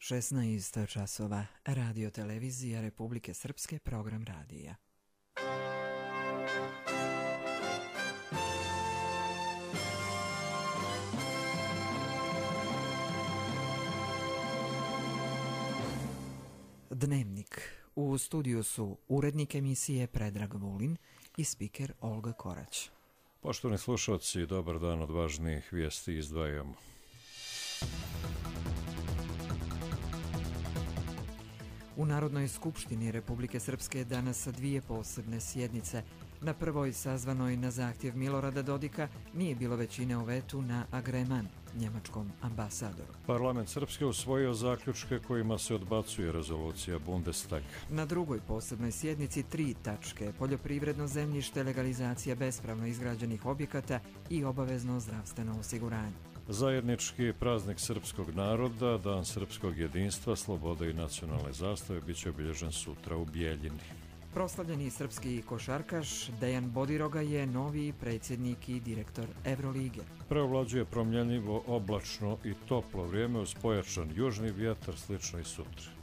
16 časova. Radio televizija Republike Srpske, program radija. Dnevnik. U studiju su urednik emisije Predrag Vulin i spiker Olga Korać. Poštovani slušalci, dobar dan, od važnijih vijesti izdvajamo. U Narodnoj skupštini Republike Srpske danas dvije posebne sjednice. Na prvoj, sazvanoj na zahtjev Milorada Dodika, nije bilo većine u vetu na agreman njemačkom ambasadoru. Parlament Srpske usvojio zaključke kojima se odbacuje rezolucija Bundestaga. Na drugoj posebnoj sjednici 3 tačke: poljoprivredno zemljište, legalizacija bespravno izgrađenih objekata i obavezno zdravstveno osiguranje. Zajednički praznik srpskog naroda, Dan srpskog jedinstva, slobode i nacionalne zastave, bit će obilježen sutra u Bijeljini. Proslavljeni srpski košarkaš Dejan Bodiroga je novi predsjednik i direktor Evrolige. Preovlađuje promjenjivo, oblačno i toplo vrijeme uz pojačan južni vjetar, slično i sutra.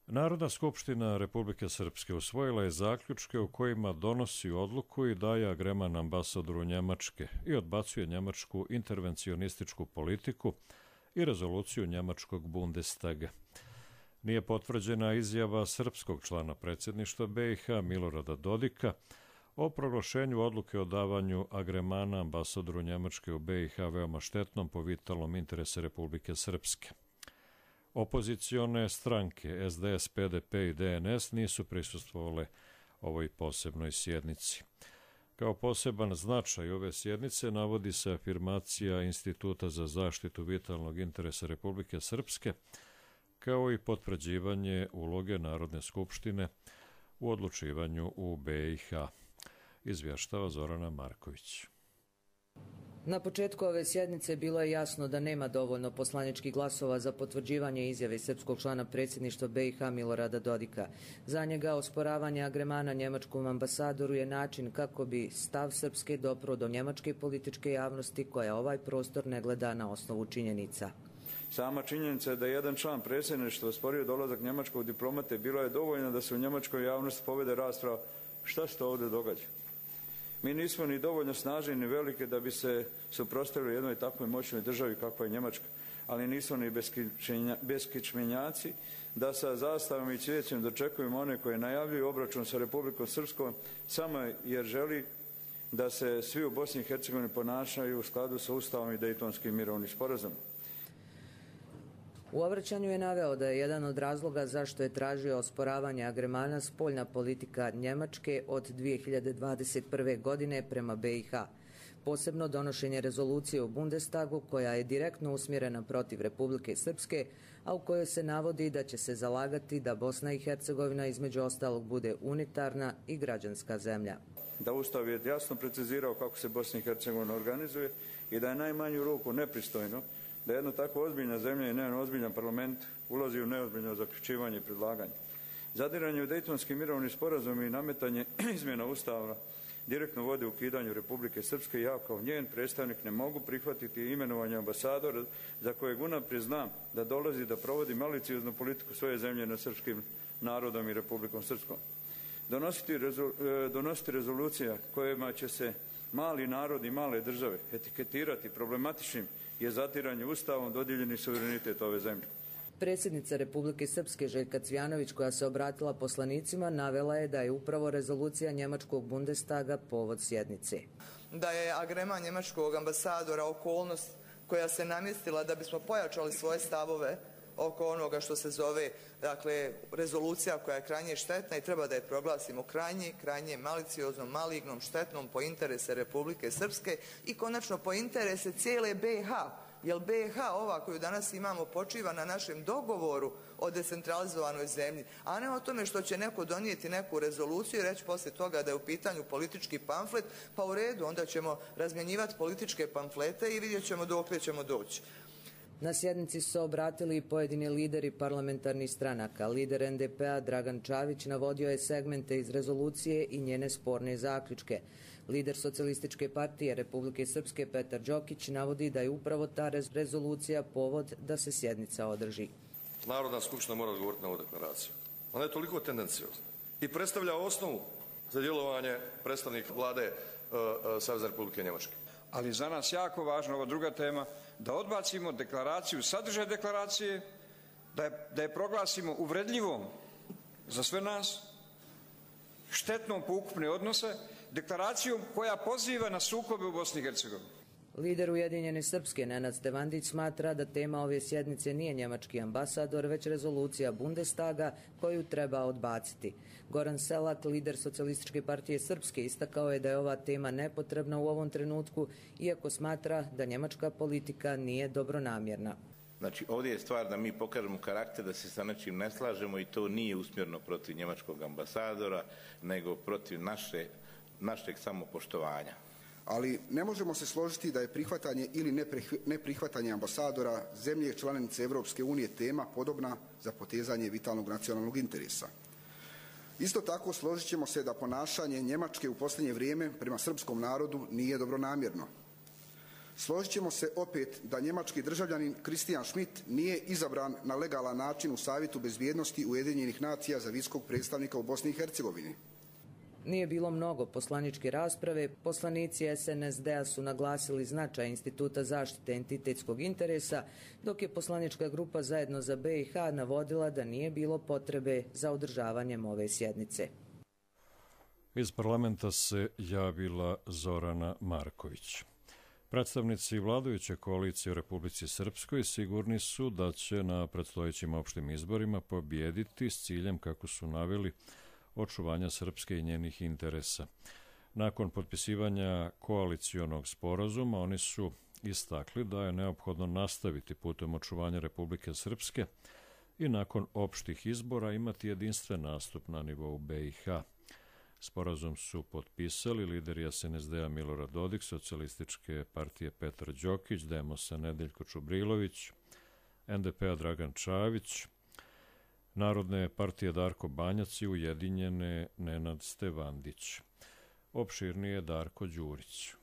Narodna skupština Republike Srpske usvojila je zaključke u kojima donosi odluku i daje agreman ambasadoru Njemačke i odbacuje njemačku intervencionističku politiku i rezoluciju njemačkog Bundestaga. Nije potvrđena izjava srpskog člana predsjedništva BiH Milorada Dodika o proglašenju odluke o davanju agremana ambasadoru Njemačke u BiH veoma štetnom po vitalnom interese Republike Srpske. Opozicione stranke SDS, PDP i DNS nisu prisustvovale ovoj posebnoj sjednici. Kao poseban značaj ove sjednice navodi se afirmacija Instituta za zaštitu vitalnog interesa Republike Srpske, kao i potvrđivanje uloge Narodne skupštine u odlučivanju u BiH. Izvještava Zorana Marković. Na početku ove sjednice bilo je jasno da nema dovoljno poslaničkih glasova za potvrđivanje izjave srpskog člana predsjedništva BiH Milorada Dodika. Za njega osporavanje agremana njemačkom ambasadoru je način kako bi stav Srpske dopro do njemačke političke javnosti koja ovaj prostor ne gleda na osnovu činjenica. Sama činjenica je da jedan član predsjedništva osporio dolazak njemačkog diplomate bila je dovoljna da se u njemačkoj javnosti povede rasprava šta se to ovdje događa. Mi nismo ni dovoljno snažni ni velike da bi se suprotstavili jednoj takvoj moćnoj državi kakva je Njemačka, ali nismo ni beskičmenjaci da sa zastavom i cvijećem dočekujemo one koje najavljuju obračun sa Republikom Srpskom samo jer želi da se svi u Bosni i Hercegovini ponašaju u skladu sa Ustavom i Dejtonskim mirovnim sporazumom. U obraćanju je naveo da je jedan od razloga zašto je tražio osporavanje agremana spoljna politika Njemačke od 2021. godine prema BiH. Posebno donošenje rezolucije u Bundestagu koja je direktno usmjerena protiv Republike Srpske, a u kojoj se navodi da će se zalagati da Bosna i Hercegovina između ostalog bude unitarna i građanska zemlja. Da Ustav je jasno precizirao kako se Bosna i Hercegovina organizuje i da je najmanju ruku nepristojno da jedna tako ozbiljna zemlja i jedan ozbiljan parlament ulazi u neozbiljno zaključivanje i predlaganje. Zadiranje u Dejtonski mirovni sporazum i nametanje izmjena Ustava direktno vodi u ukidanju Republike Srpske i ja kao njen predstavnik ne mogu prihvatiti imenovanje ambasadora za kojeg unaprijed znam da dolazi da provodi malicioznu politiku svoje zemlje nad srpskim narodom i Republikom Srpskom. Donositi rezolucija kojima će se mali narod i male države etiketirati problematičnim je zatiranje Ustavom dodijeljeni suverenitet ove zemlje. Predsjednica Republike Srpske Željka Cvjanović, koja se obratila poslanicima, navela je da je upravo rezolucija njemačkog Bundestaga povod sjednice. Da je agreman njemačkog ambasadora okolnost koja se namjestila da bismo pojačali svoje stavove oko onoga što se zove, dakle, rezolucija koja je krajnje štetna i treba da je proglasimo krajnje malicioznom, malignom, štetnom po interese Republike Srpske i konačno po interese cijele BiH. Jer BiH, ova koju danas imamo, počiva na našem dogovoru o decentralizovanoj zemlji, a ne o tome što će neko donijeti neku rezoluciju i reći poslije toga da je u pitanju politički pamflet, pa u redu, onda ćemo razmjenjivati političke pamflete i vidjet ćemo dokle ćemo doći. Na sjednici su se obratili i pojedini lideri parlamentarnih stranaka. Lider NDP-a Dragan Čavić navodio je segmente iz rezolucije i njene sporne zaključke. Lider Socijalističke partije Republike Srpske Petar Đokić navodi da je upravo ta rezolucija povod da se sjednica održi. Narodna skupština mora odgovoriti na ovu deklaraciju. Ona je toliko tendenciozna i predstavlja osnovu za djelovanje predstavnika vlade Savezne Republike Njemačke. Ali za nas jako važno, ova druga tema, da odbacimo deklaraciju, sadržaj deklaracije, da je proglasimo uvredljivom za sve nas, štetnom po ukupne odnose, deklaracijom koja poziva na sukobe u Bosni i Hercegovini. Lider Ujedinjene Srpske Nenad Stevandić smatra da tema ove sjednice nije njemački ambasador, već rezolucija Bundestaga koju treba odbaciti. Goran Selak, lider Socijalističke partije Srpske, istakao je da je ova tema nepotrebna u ovom trenutku, iako smatra da njemačka politika nije dobronamjerna. Znači, ovdje je stvar da mi pokažemo karakter, da se sa nečim ne slažemo i to nije usmjereno protiv njemačkog ambasadora, nego protiv našeg samopoštovanja. Ali ne možemo se složiti da je prihvatanje ili neprihvatanje ambasadora zemlje članice Europske unije tema podobna za potezanje vitalnog nacionalnog interesa. Isto tako složit ćemo se da ponašanje Njemačke u posljednje vrijeme prema srpskom narodu nije dobronamjerno. Složit ćemo se opet da njemački državljanin Christian Schmidt nije izabran na legalan način u Savjetu bezbjednosti Ujedinjenih nacija za visokog predstavnika u Bosni i Hercegovini. Nije bilo mnogo poslaničke rasprave. Poslanici SNSD-a su naglasili značaj Instituta zaštite entitetskog interesa, dok je poslanička grupa Zajedno za BiH navodila da nije bilo potrebe za održavanjem ove sjednice. Iz parlamenta se javila Zorana Marković. Predstavnici vladajuće koalicije u Republici Srpskoj sigurni su da će na predstojećim opštim izborima pobijediti s ciljem, kako su naveli, očuvanja Srpske i njenih interesa. Nakon potpisivanja koalicionog sporazuma oni su istakli da je neophodno nastaviti putem očuvanja Republike Srpske i nakon opštih izbora imati jedinstven nastup na nivou BiH. Sporazum su potpisali lideri SNSD-a Milorad Dodik, Socijalističke partije Petar Đokić, Demosa Nedeljko Čubrilović, NDP-a Dragan Čavić, Narodne partije Darko Banjac i Ujedinjene Nenad Stevandić. Opširnije Darko Đurić.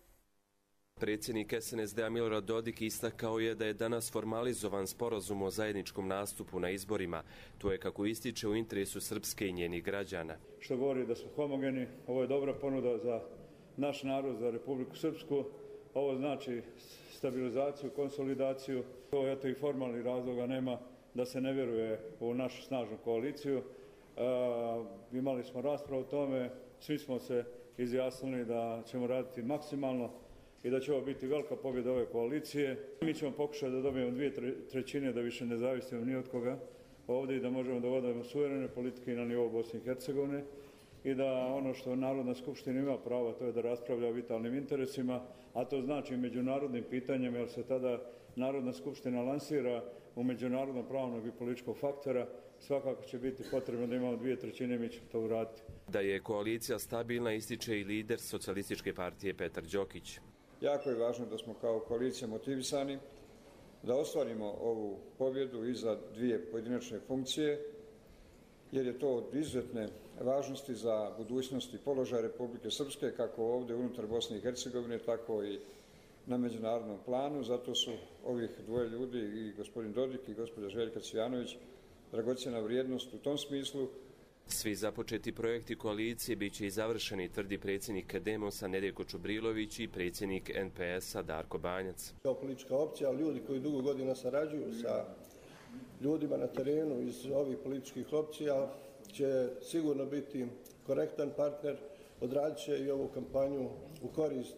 Predsjednik SNSD-a Milorad Dodik istakao je da je danas formalizovan sporazum o zajedničkom nastupu na izborima. To je, kako ističe, u interesu Srpske i njenih građana. Što govori da smo homogeni, ovo je dobra ponuda za naš narod, za Republiku Srpsku. Ovo znači stabilizaciju, konsolidaciju. To eto i formalnih razloga nema da se ne vjeruje u našu snažnu koaliciju. Imali smo raspravu o tome, svi smo se izjasnili da ćemo raditi maksimalno i da će ovo biti velika pobjeda ove koalicije. Mi ćemo pokušati da dobijemo 2/3 da više ne zavisimo ni od koga ovdje i da možemo da vodimo suverene politike i na nivou Bosne i Hercegovine i da ono što Narodna skupština ima pravo, to je da raspravlja o vitalnim interesima, a to znači međunarodnim pitanjima, jer se tada Narodna skupština lansira u međunarodnom pravnog i političkog faktora. Svakako će biti potrebno da imamo 2/3, mi ćemo to uraditi. Da je koalicija stabilna ističe i lider Socijalističke partije Petar Đokić. Jako je važno da smo kao koalicija motivisani da ostvarimo ovu pobjedu i za dvije pojedinačne funkcije, jer je to od izuzetne važnosti za budućnost i položaj Republike Srpske, kako ovdje unutar Bosne i Hercegovine, tako i na međunarodnom planu. Zato su ovih dvoje ljudi, i gospodin Dodik i gospođa Željka Cvijanović, dragocjena vrijednost u tom smislu. Svi započeti projekti koalicije bit će i završeni, tvrdi predsjednik Demosa Nedeljko Čubrilović i predsjednik NPS-a Darko Banjac. Kao politička opcija, ali ljudi koji dugo godina sarađuju sa ljudima na terenu iz ovih političkih opcija će sigurno biti korektan partner, odradit će i ovu kampanju u korist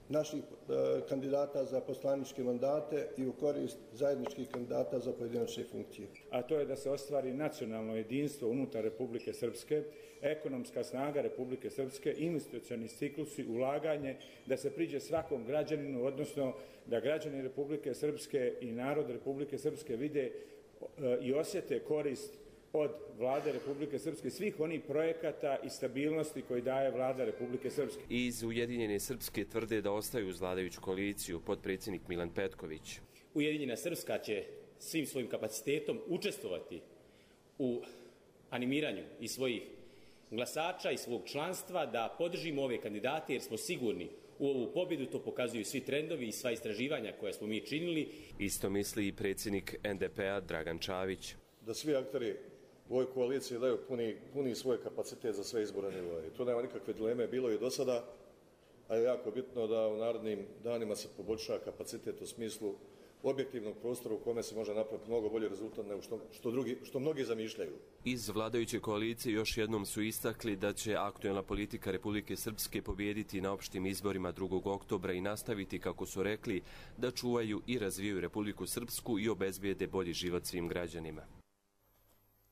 naših kandidata za poslaničke mandate i u korist zajedničkih kandidata za pojedinačne funkcije. A to je da se ostvari nacionalno jedinstvo unutar Republike Srpske, ekonomska snaga Republike Srpske, investicioni ciklusi, ulaganje, da se priđe svakom građaninu, odnosno da građani Republike Srpske i narod Republike Srpske vide i osjete korist od vlade Republike Srpske, svih onih projekata i stabilnosti koji daje vlada Republike Srpske. Iz Ujedinjene Srpske tvrde da ostaju uz vladajuću koaliciju, potpredsjednik Milan Petković. Ujedinjena Srpska će svim svojim kapacitetom učestvovati u animiranju i svojih glasača i svog članstva da podržimo ove kandidate jer smo sigurni u ovu pobjedu, to pokazuju svi trendovi i sva istraživanja koja smo mi činili. Isto misli i predsjednik NDP-a Dragan Čavić. Da svi akteri u ovoj koaliciji daju puni svoj kapacitet za sve izborne nivoe. Tu nema nikakve dileme, bilo je do sada, a je jako bitno da u narednim danima se poboljša kapacitet u smislu objektivnog prostora u kome se može napraviti mnogo bolji rezultat nego što mnogi zamišljaju. Iz vladajuće koalicije još jednom su istakli da će aktuelna politika Republike Srpske pobijediti na opštim izborima 2. oktobra i nastaviti, kako su rekli, da čuvaju i razvijaju Republiku Srpsku i obezbijede bolji život svim građanima.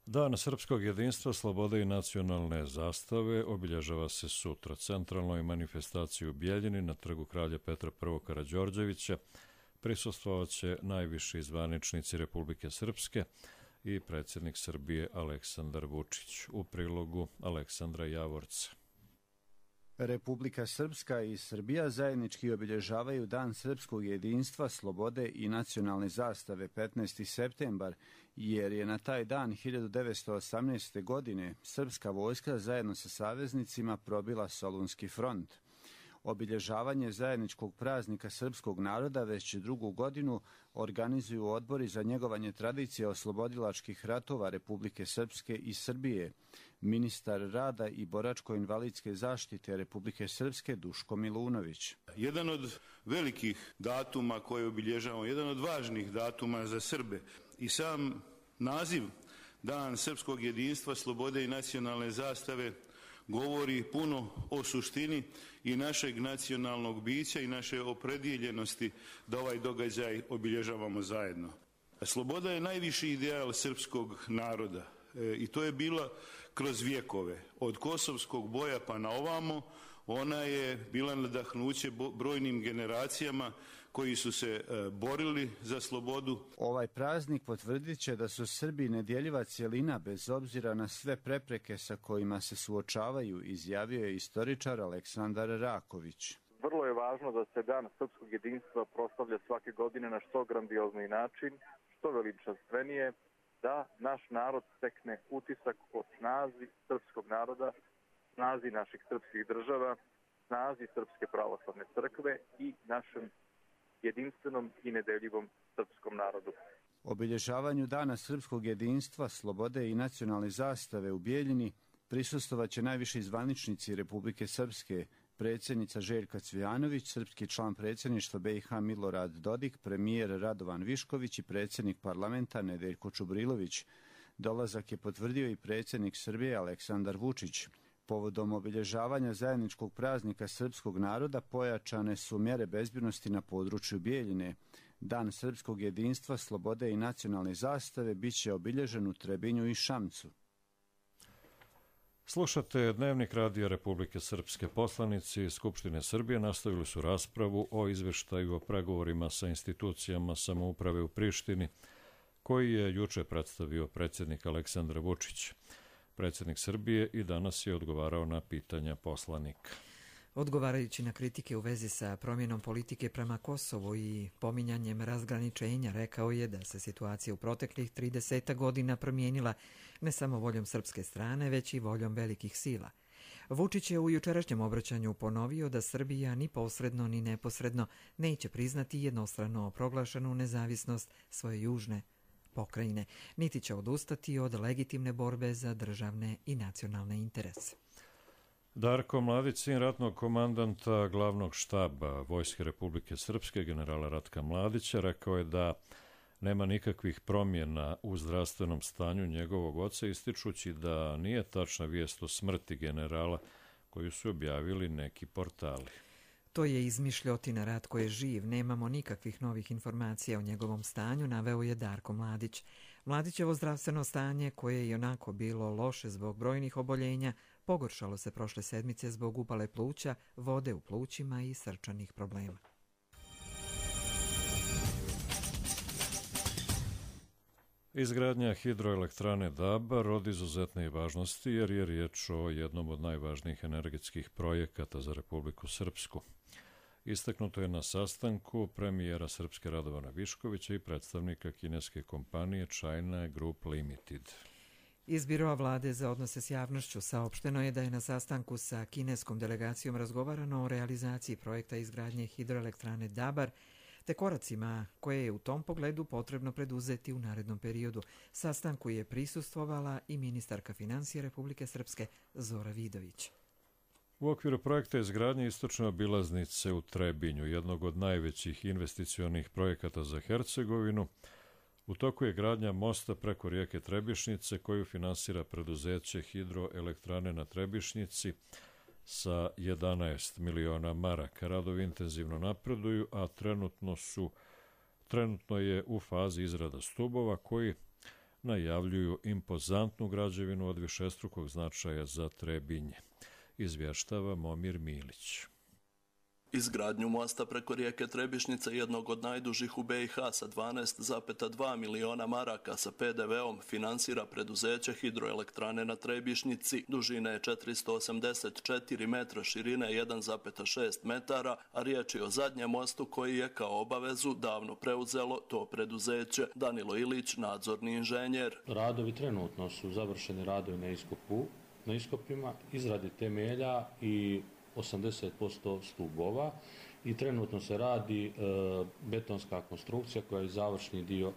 Dan srpskog jedinstva, slobode i nacionalne zastave obilježava se sutra. Centralnoj manifestaciji u Bijeljini na trgu kralja Petra I. Karađorđevića prisustvovat će najviši zvaničnici Republike Srpske i predsjednik Srbije Aleksandar Vučić. U prilogu Aleksandra Javorca. Republika Srpska i Srbija zajednički obilježavaju Dan srpskog jedinstva, slobode i nacionalne zastave 15. septembar, jer je na taj dan 1918. godine srpska vojska zajedno sa saveznicima probila Solunski front. Obilježavanje zajedničkog praznika srpskog naroda već 2. godinu organizuju odbori za njegovanje tradicije oslobodilačkih ratova Republike Srpske i Srbije. Ministar rada i boračko-invalidske zaštite Republike Srpske Duško Milunović. Jedan od velikih datuma koje obilježavamo, jedan od važnih datuma za Srbe i sam naziv Dan srpskog jedinstva, slobode i nacionalne zastave govori puno o suštini i našeg nacionalnog bića i naše opredjeljenosti da ovaj događaj obilježavamo zajedno. Sloboda je najviši ideal srpskog naroda i to je bila kroz vjekove. Od kosovskog boja pa na ovamo ona je bila nadahnuće brojnim generacijama koji su se borili za slobodu. Ovaj praznik potvrdit će da su Srbi nedjeljiva cjelina bez obzira na sve prepreke sa kojima se suočavaju, izjavio je istoričar Aleksandar Raković. Vrlo je važno da se Dan srpskog jedinstva proslavlja svake godine na što grandiozniji način, što veličanstvenije, da naš narod stekne utisak o snazi srpskog naroda, snazi naših srpskih država, snazi Srpske pravoslavne crkve i našem jedinstvenom i nedeljivom srpskom narodu. Obilježavanju Dana srpskog jedinstva, slobode i nacionalne zastave u Bijeljini prisustvovat će najviši zvaničnici Republike Srpske, predsjednica Željka Cvijanović, srpski član predsjedništva BiH Milorad Dodik, premijer Radovan Višković i predsjednik parlamenta Nedeljko Čubrilović. Dolazak je potvrdio i predsjednik Srbije Aleksandar Vučić. Povodom obilježavanja zajedničkog praznika srpskog naroda pojačane su mjere bezbjednosti na području Bijeljine. Dan srpskog jedinstva, slobode i nacionalne zastave bit će obilježen u Trebinju i Šamcu. Slušate Dnevnik Radija Republike Srpske. Poslanici Skupštine Srbije nastavili su raspravu o izveštaju o pregovorima sa institucijama samouprave u Prištini, koji je juče predstavio predsjednik Aleksandar Vučić. Predsjednik Srbije i danas je odgovarao na pitanja poslanika. Odgovarajući na kritike u vezi sa promjenom politike prema Kosovu i pominjanjem razgraničenja, rekao je da se situacija u proteklih 30 godina promijenila ne samo voljom srpske strane, već i voljom velikih sila. Vučić je u jučerašnjem obraćanju ponovio da Srbija ni posredno ni neposredno neće priznati jednostrano proglašenu nezavisnost svoje južne pokrajine, niti će odustati od legitimne borbe za državne i nacionalne interese. Darko Mladić, sin ratnog komandanta glavnog štaba Vojske Republike Srpske, generala Ratka Mladića, rekao je da nema nikakvih promjena u zdravstvenom stanju njegovog oca, ističući da nije tačna vijest o smrti generala koju su objavili neki portali. To je izmišljotina, Ratko je živ, nemamo nikakvih novih informacija o njegovom stanju, naveo je Darko Mladić. Mladićevo zdravstveno stanje, koje je i onako bilo loše zbog brojnih oboljenja, pogoršalo se prošle sedmice zbog upale pluća, vode u plućima i srčanih problema. Izgradnja hidroelektrane Dabar od izuzetne važnosti jer je riječ o jednom od najvažnijih energetskih projekata za Republiku Srpsku. Istaknuto je na sastanku premijera Srpske Radovana Viškovića i predstavnika kineske kompanije China Group Limited. Iz Biroa vlade za odnose s javnošću saopšteno je da je na sastanku sa kineskom delegacijom razgovarano o realizaciji projekta izgradnje hidroelektrane Dabar te koracima koje je u tom pogledu potrebno preduzeti u narednom periodu. Sastanku je prisustvovala i ministarka financija Republike Srpske Zora Vidović. U okviru projekta izgradnje istočne obilaznice u Trebinju, jednog od najvećih investicionih projekata za Hercegovinu, u toku je gradnja mosta preko rijeke Trebišnjice koju finansira preduzeće Hidroelektrane na Trebišnjici sa 11 miliona maraka. Radovi intenzivno napreduju, a trenutno je u fazi izrada stubova koji najavljuju impozantnu građevinu od višestrukog značaja za Trebinje. Izvještava Momir Milić. Izgradnju mosta preko rijeke Trebišnjice, jednog od najdužih u BiH sa 12,2 miliona maraka sa PDV-om, finansira preduzeće Hidroelektrane na Trebišnjici. Dužine je 484 metra, širine 1,6 metara, a riječ je o zadnjem mostu koji je kao obavezu davno preuzelo to preduzeće. Danilo Ilić, nadzorni inženjer. Radovi trenutno su završeni radovi na iskopima, izradi temelja i 80% stubova i trenutno se radi betonska konstrukcija koja je završni dio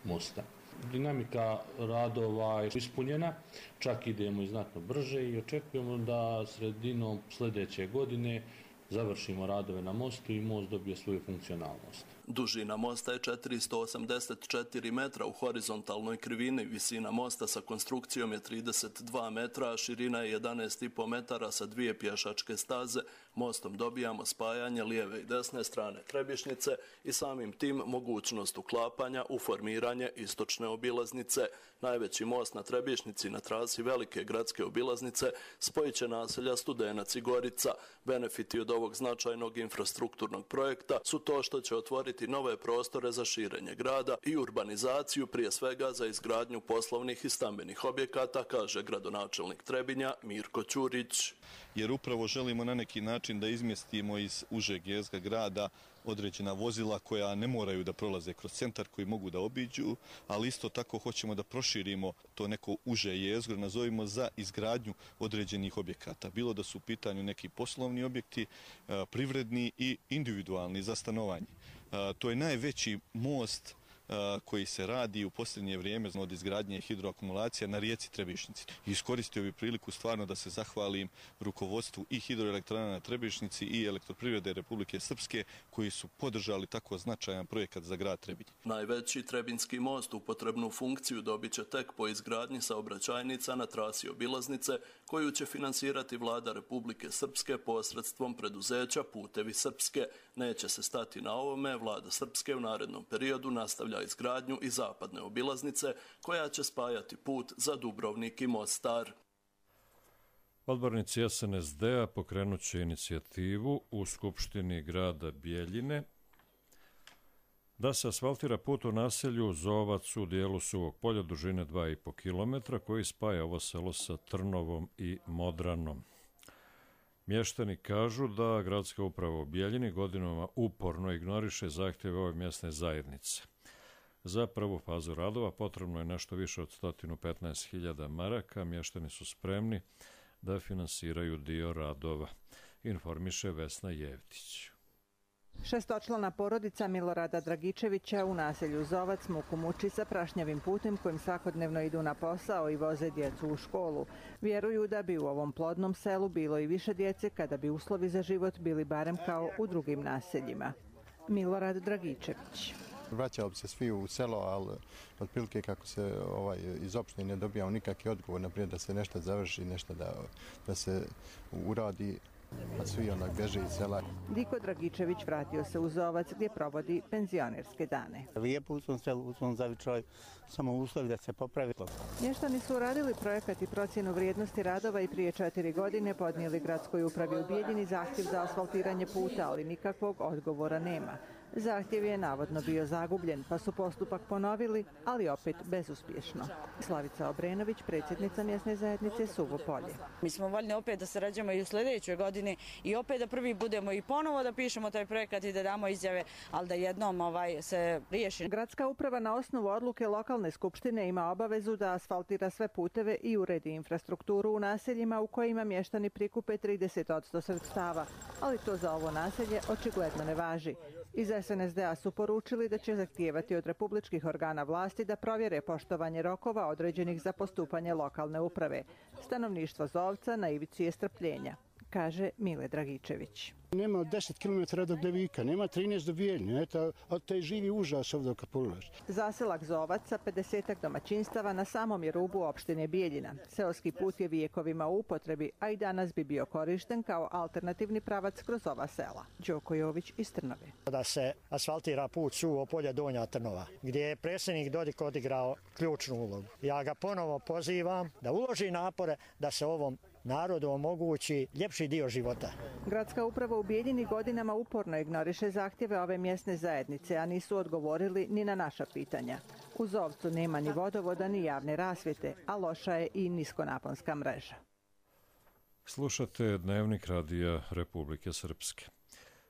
mosta. Dinamika radova je ispunjena, čak idemo i znatno brže i očekujemo da sredinom sljedeće godine završimo radove na mostu i most dobije svoju funkcionalnost. Dužina mosta je 484 metra u horizontalnoj krivini, visina mosta sa konstrukcijom je 32 metra, a širina je 11,5 metara sa dvije pješačke staze. Mostom dobijamo spajanje lijeve i desne strane Trebišnjice i samim tim mogućnost uklapanja u formiranje istočne obilaznice. Najveći most na Trebišnjici na trasi velike gradske obilaznice spojit će naselja Studenac i Gorica. Benefiti od ovog značajnog infrastrukturnog projekta su to što će otvoriti nove prostore za širenje grada i urbanizaciju, prije svega za izgradnju poslovnih i stambenih objekata, kaže gradonačelnik Trebinja Mirko Ćurić. Jer upravo želimo na neki način da izmjestimo iz užeg jezgra grada određena vozila koja ne moraju da prolaze kroz centar, koji mogu da obiđu, ali isto tako hoćemo da proširimo to neko uže jezgro, nazovimo za izgradnju određenih objekata. Bilo da su u pitanju neki poslovni objekti, privredni i individualni za stanovanje. To je najveći most koji se radi u posljednje vrijeme od izgradnje hidroakumulacija na rijeci Trebišnjici. Iskoristio bi priliku stvarno da se zahvalim rukovodstvu i Hidroelektrana na Trebišnjici i Elektroprivrede Republike Srpske koji su podržali tako značajan projekat za grad Trebinje. Najveći Trebinski most u potrebnu funkciju dobit će tek po izgradnji saobraćajnica na trasi obilaznice koju će finansirati vlada Republike Srpske posredstvom preduzeća Putevi Srpske. Neće se stati na ovome, vlada Srpske u narednom periodu nastavlja izgradnju i zapadne obilaznice koja će spajati put za Dubrovnik i Mostar. Odbornici SNSD-a pokrenut će inicijativu u Skupštini grada Bijeljine da se asfaltira put u naselju Zovac u dijelu Suvog polja dužine 2,5 km koji spaja ovo selo sa Trnovom i Modranom. Mještani kažu da gradska uprava u Bijeljini godinama uporno ignoriše zahtjeve ove mjesne zajednice. Za prvu fazu radova potrebno je nešto više od 115.000 maraka. Mještani su spremni da finansiraju dio radova, informiše Vesna Jevtić. Šestočlana porodica Milorada Dragičevića u naselju Zovac muku muči sa prašnjavim putem kojim svakodnevno idu na posao i voze djecu u školu. Vjeruju da bi u ovom plodnom selu bilo i više djece kada bi uslovi za život bili barem kao u drugim naseljima. Milorad Dragičević. Vraćao bi se svi u selo, ali otprilike kako se iz opštine ne dobijao nikakvi odgovor, naprijed da se nešto završi, nešto da se uradi, a svi onak beže iz sela. Diko Dragičević vratio se u Zovac gdje provodi penzionerske dane. Lijepo u svom selu, u svom zavičaju, samo uslovi da se popravi. Mještani su uradili projekat i procjenu vrijednosti radova i prije 4 godine podnijeli gradskoj upravi u Bijeljini zahtjev za asfaltiranje puta, ali nikakvog odgovora nema. Zahtjev je navodno bio zagubljen, pa su postupak ponovili, ali opet bezuspješno. Slavica Obrenović, predsjednica mjesne zajednice Suvo Polje. Mi smo voljni opet da sarađujemo i u sljedećoj godini i opet da prvi budemo i ponovo da pišemo taj projekat i da damo izjave, ali da jednom se riješi. Gradska uprava na osnovu odluke lokalne skupštine ima obavezu da asfaltira sve puteve i uredi infrastrukturu u naseljima u kojima mještani prikupe 30% sredstava, ali to za ovo naselje očigledno ne važi. Iz SNSD-a su poručili da će zahtijevati od republičkih organa vlasti da provjere poštovanje rokova određenih za postupanje lokalne uprave. Stanovništvo Zovca na ivici je strpljenja, kaže Mile Dragičević. Nema 10 km do Devika, nema 13 do Bijeljne, od te živi užas ovdje kad pogledaš. Zaselak Zovac sa 50 domaćinstava na samom je rubu opštine Bijeljina. Seoski put je vijekovima u upotrebi, a i danas bi bio korišten kao alternativni pravac kroz ova sela. Đoko Jović iz Trnove. Da se asfaltira put Suvo Polje Donja Trnova, gdje je predsjednik Dodik odigrao ključnu ulogu. Ja ga ponovo pozivam da uloži napore da se ovom narodu omogući ljepši dio života. Gradska uprava u Bijeljini godinama uporno ignoriše zahtjeve ove mjesne zajednice, a nisu odgovorili ni na naša pitanja. U Zovcu nema ni vodovoda ni javne rasvjete, a loša je i niskonaponska mreža. Slušate Dnevnik Radija Republike Srpske.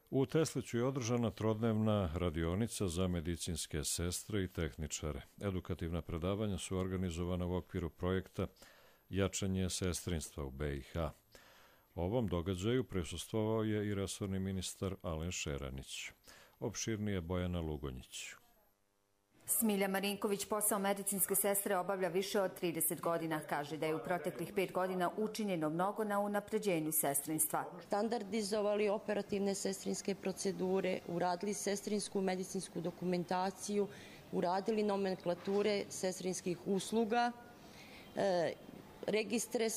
U Tesliću je održana trodnevna radionica za medicinske sestre i tehničare. Edukativna predavanja su organizovana u okviru projekta Jačanje sestrinstva u BiH. Ovom događaju prisustvovao je i resorni ministar Alen Šeranić. Opširnije Bojana Lugonjić. Smilja Marinković posao medicinske sestre obavlja više od 30 godina. Kaže da je u proteklih 5 godina učinjeno mnogo na unapređenju sestrinstva. Standardizovali operativne sestrinske procedure, uradili sestrinsku medicinsku dokumentaciju, uradili nomenklature sestrinskih usluga, registre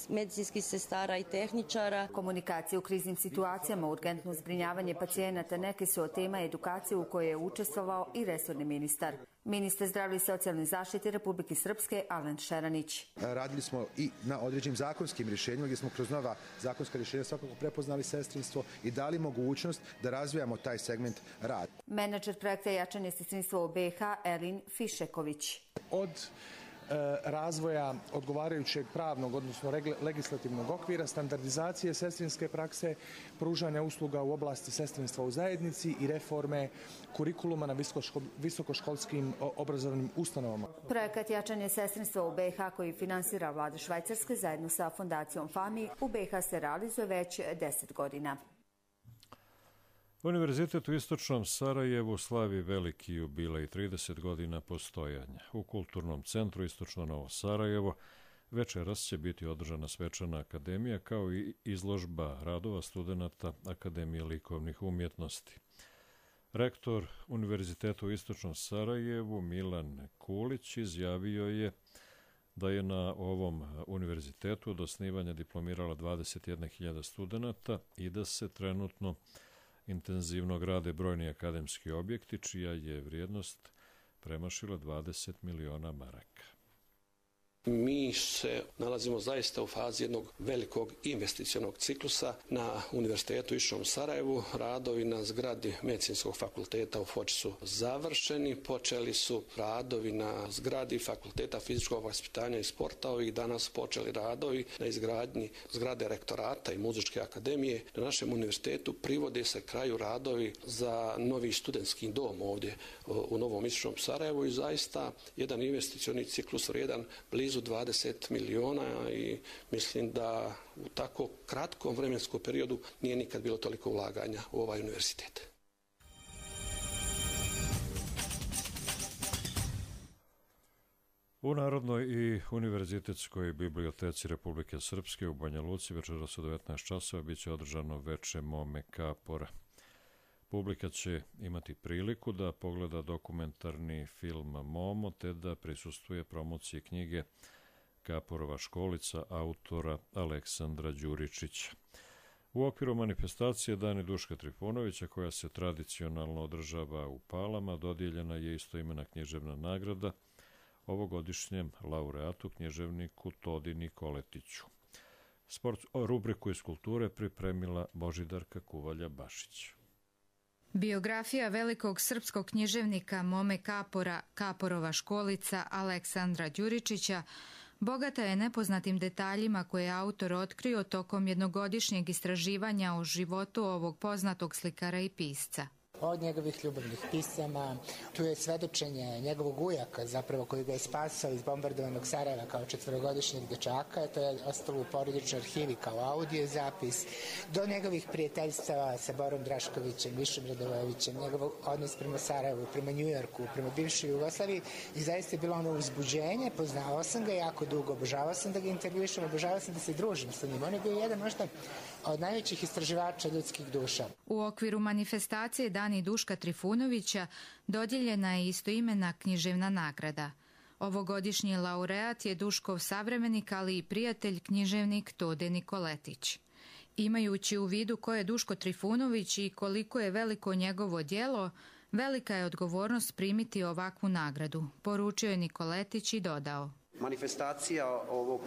medicinskih sestara i tehničara. Komunikacija u kriznim situacijama, urgentno zbrinjavanje pacijenata neke su od tema edukacije u kojoj je učestvovao i resorni ministar. Ministar zdravlja i socijalne zaštite Republike Srpske Alen Šeranić. Radili smo i na određenim zakonskim rješenjima gdje smo kroz nova zakonska rješenja svakako prepoznali sestrinstvo i dali mogućnost da razvijamo taj segment rada. Menadžer projekta Jačanje sestrinstva u BiH Elin Fišeković. Od razvoja odgovarajućeg pravnog, odnosno legislativnog okvira, standardizacije sestrinske prakse, pružanja usluga u oblasti sestrinstva u zajednici i reforme kurikuluma na visokoškolskim obrazovnim ustanovama. Projekat Jačanje sestrinstva u BiH koji finansira vlada Švajcarske zajedno sa fondacijom FAMI u BiH se realizuje već 10 godina. Univerzitet u istočnom Sarajevu slavi veliki jubilej 30 godina postojanja. U Kulturnom centru Istočno Novo Sarajevo večeras će biti održana svečana akademija kao i izložba radova studenata Akademije likovnih umjetnosti. Rektor Univerziteta u Istočnom Sarajevu Milan Kulić izjavio je da je na ovom univerzitetu od osnivanja diplomirala 21.000 studenata i da se trenutno intenzivno grade brojni akademski objekti, čija je vrijednost premašila 20 miliona maraka. Mi se nalazimo zaista u fazi jednog velikog investicionog ciklusa na Univerzitetu u Istočnom Sarajevu. Radovi na zgradi Medicinskog fakulteta u Foči su završeni. Počeli su radovi na zgradi Fakulteta fizičkog vaspitanja i sporta. Ovih dana su počeli radovi na izgradnji zgrade rektorata i muzičke akademije. Na našem univerzitetu privode se kraju radovi za novi studentski dom ovdje u Novom Istočnom Sarajevu i zaista jedan investicioni ciklus vrijedan blizu 20 miliona i mislim da u tako kratkom vremenskom periodu nije nikad bilo toliko ulaganja u ovaj univerzitet. U Narodnoj i univerzitetskoj biblioteci Republike Srpske u Banja Luci večeras u 19 časova biće održano veče Mome Kapora. Publika će imati priliku da pogleda dokumentarni film Momo te da prisustvuje promociji knjige Kaporova školica autora Aleksandra Đuričića. U okviru manifestacije Dani Duška Trifunovića, koja se tradicionalno održava u Palama, dodijeljena je istoimena književna nagrada ovogodišnjem laureatu književniku Todi Nikoletiću. Rubriku iz kulture pripremila Božidarka Kuvalja-Bašić. Biografija velikog srpskog književnika Mome Kapora, Kaporova školica Aleksandra Đuričića, bogata je nepoznatim detaljima koje je autor otkrio tokom jednogodišnjeg istraživanja o životu ovog poznatog slikara i pisca. Od njegovih ljubavnih pisama, tu je svedočenje njegovog ujaka, zapravo koji ga je spasao iz bombardovanog Sarajeva kao 4-godišnjeg dečaka, to je ostalo u porodičnoj arhivi kao audio zapis, do njegovih prijateljstava sa Borom Draškovićem, Višom Radojevićem, njegov odnos prema Sarajevu, prema Njujorku, prema bivšoj Jugoslaviji, i zaista je bilo ono uzbuđenje, poznavao sam ga jako dugo, obožavao sam da ga intervjušam, obožavao sam da se družim sa njim. On je bio jedan možda od najvećih istraživača ljudskih duša. U okviru manifestacije Dani Duška Trifunovića dodijeljena je istoimena književna nagrada. Ovogodišnji laureat je Duškov savremenik, ali i prijatelj književnik Tode Nikoletić. Imajući u vidu ko je Duško Trifunović i koliko je veliko njegovo djelo, velika je odgovornost primiti ovakvu nagradu, poručio je Nikoletić i dodao. Manifestacija ovog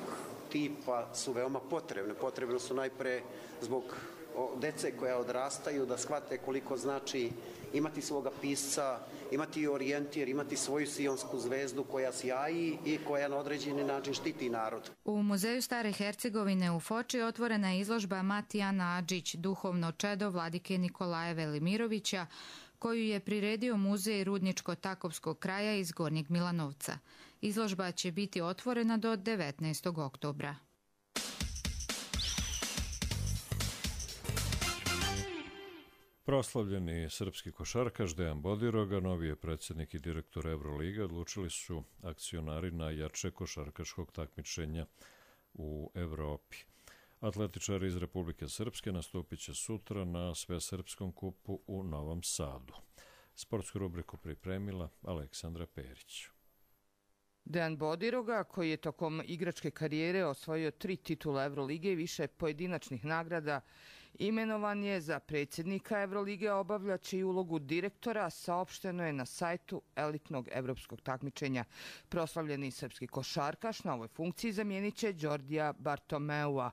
tipa su veoma potrebne. Potrebne su najpre zbog dece koja odrastaju, da shvate koliko znači imati svoga pisca, imati orijentir, imati svoju sionsku zvezdu koja sjaji i koja na određeni način štiti narod. U Muzeju Stare Hercegovine u Foči otvorena je izložba Matijana Adžić, duhovno čedo vladike Nikolaja Velimirovića, koju je priredio Muzej Rudničko-Takovskog kraja iz Gornjeg Milanovca. Izložba će biti otvorena do 19. oktobra. Proslavljeni srpski košarkaš Dejan Bodiroga, novi je predsjednik i direktor Evrolige, odlučili su akcionari na jače košarkaškog takmičenja u Evropi. Atletičari iz Republike Srpske nastupit će sutra na Svesrpskom kupu u Novom Sadu. Sportsku rubriku pripremila Aleksandra Perić. Dejan Bodiroga, koji je tokom igračke karijere osvojio 3 titula Evrolige i više pojedinačnih nagrada, imenovan je za predsjednika Evrolige, obavljaće i ulogu direktora, saopšteno je na sajtu elitnog evropskog takmičenja. Proslavljeni srpski košarkaš na ovoj funkciji zamijenit će Đordija Bartomeua.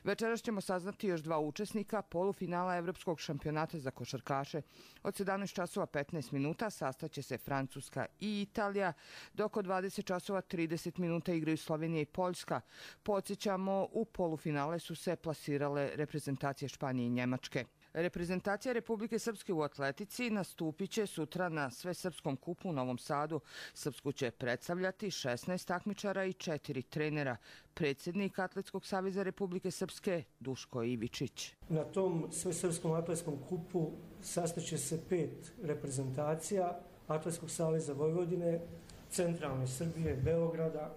Večeras ćemo saznati još 2 učesnika polufinala Evropskog šampionata za košarkaše. Od 17:15 sastaće se Francuska i Italija, dok od 20:30 igraju Slovenija i Poljska. Podsjećamo, u polufinale su se plasirale reprezentacije Španije i Njemačke. Reprezentacija Republike Srpske u atletici nastupit će sutra na Svesrpskom kupu u Novom Sadu. Srpsku će predstavljati 16 takmičara i 4 trenera. Predsjednik Atletskog saveza Republike Srpske Duško Ivičić. Na tom Svesrpskom atletskom kupu sastaće se 5 reprezentacija Atletskog saveza Vojvodine, Centralne Srbije, Beograda,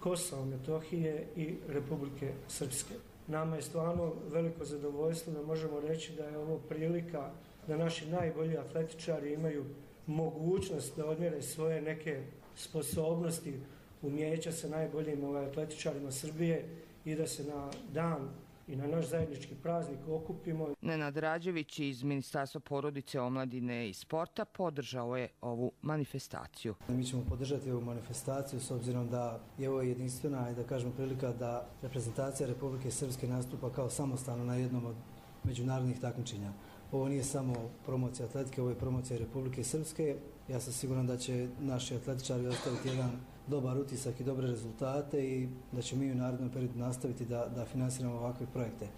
Kosova, Metohije i Republike Srpske. Nama je stvarno veliko zadovoljstvo da možemo reći da je ovo prilika da naši najbolji atletičari imaju mogućnost da odmjere svoje neke sposobnosti, umjeća sa najboljim atletičarima Srbije i da se na dan i na naš zajednički praznik okupimo. Nenad Rađević iz Ministarstva porodice, omladine i sporta podržao je ovu manifestaciju. Mi ćemo podržati ovu manifestaciju s obzirom da je ovo jedinstvena i da kažemo prilika da reprezentacija Republike Srpske nastupa kao samostalno na jednom od međunarodnih takmičenja. Ovo nije samo promocija atletike, ovo je promocija Republike Srpske. Ja sam siguran da će naši atletičari ostaviti jedan dobar utisak i dobre rezultate i da ćemo mi u narednom periodu nastaviti da finansiramo ovakve projekte.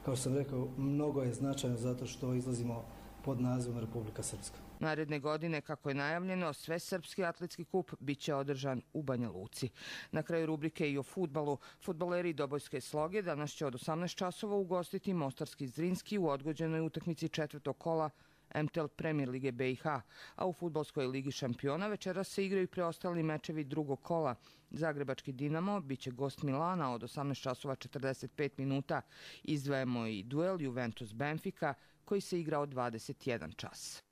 Kao što sam rekao, mnogo je značajno zato što izlazimo pod nazivom Republika Srpska. Naredne godine, kako je najavljeno, Svesrpski atletski kup bit će održan u Banja Luci. Na kraju rubrike i o fudbalu. Fudbaleri Dobojske Sloge danas će od 18:00 ugostiti Mostarski Zrinski u odgođenoj utakmici 4. kola MTL Premier Lige BiH, a u Fudbalskoj ligi šampiona večeras se igraju preostali mečevi 2. kola. Zagrebački Dinamo biće gost Milana od 18:45. Izdvajamo i duel Juventus Benfica koji se igra od 21 čas.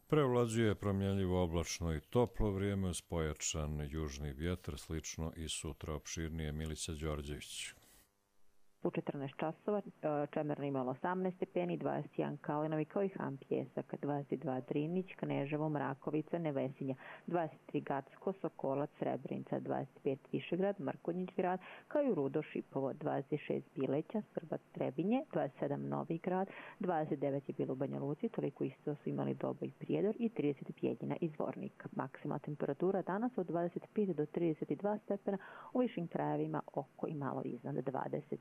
Prevlađuje promjenljivo oblačno i toplo vrijeme uz pojačan južni vjetar, slično i sutra opširnije. Milica Đorđević. U 14 časova Čemerno imalo 18 stepeni, 21 Kalinovi kao i Han Pjesak, 22 Drinić, Kneževo, Mrakovica, Nevesinja, 23 Gacko, Sokolac, Srebrenica, 25 Višegrad, Mrkonjić grad, kao i Rudo, Šipovo, 26 Bileća, Srbac, Trebinje, 27 Novi grad, 29 je bilo u Banja Luci, toliko isto su imali Dobo i Prijedor i 30 Bijeljina i Zvornik. Maksimalna temperatura danas od 25 do 32 stepena, u višim krajevima oko i malo iznad 20.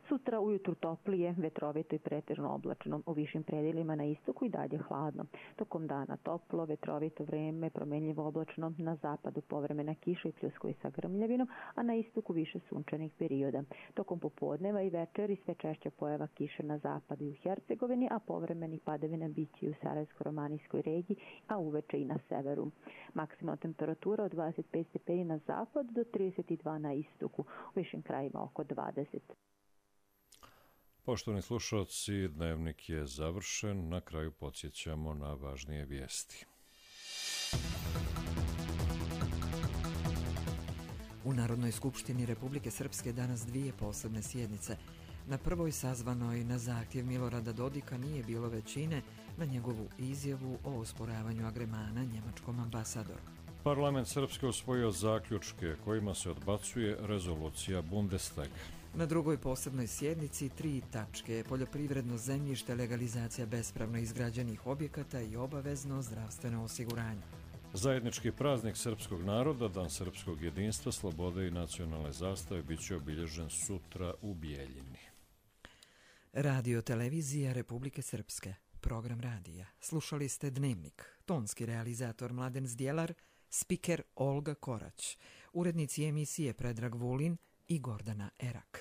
Sutra ujutru toplije, vetrovito i pretežno oblačno, u višim predelima na istoku i dalje hladno. Tokom dana toplo, vetrovito vreme, promjenljivo oblačno, na zapadu povremena kiša i pljuskovi sa grmljavinom, a na istoku više sunčanih perioda. Tokom popodneva i večeri sve češća pojava kiše na zapadu i u Hercegovini, a povremeni padavina biće i u Sarajevsko-romanijskoj regiji, a uveče i na severu. Maksimalna temperatura od 25 stepeni na zapad do 32 na istoku, u višim krajima oko 20. Poštovani slušalci, dnevnik je završen. Na kraju podsjećamo na važnije vijesti. U Narodnoj skupštini Republike Srpske danas dvije posebne sjednice. Na prvoj sazvanoj na zahtjev Milorada Dodika nije bilo većine na njegovu izjavu o osporavanju agremana njemačkom ambasadoru. Parlament Srpske usvojio zaključke kojima se odbacuje rezolucija Bundestaga. Na drugoj posebnoj sjednici 3 tačke: poljoprivredno zemljište, legalizacija bespravno izgrađenih objekata i obavezno zdravstveno osiguranje. Zajednički praznik srpskog naroda, Dan srpskog jedinstva, slobode i nacionalne zastave bit će obilježen sutra u Bijeljini. Radio televizija Republike Srpske. Program radija. Slušali ste Dnevnik. Tonski realizator Mladen Zdjelar, spiker Olga Korać, urednici emisije Predrag Vulin i Gordana Erak.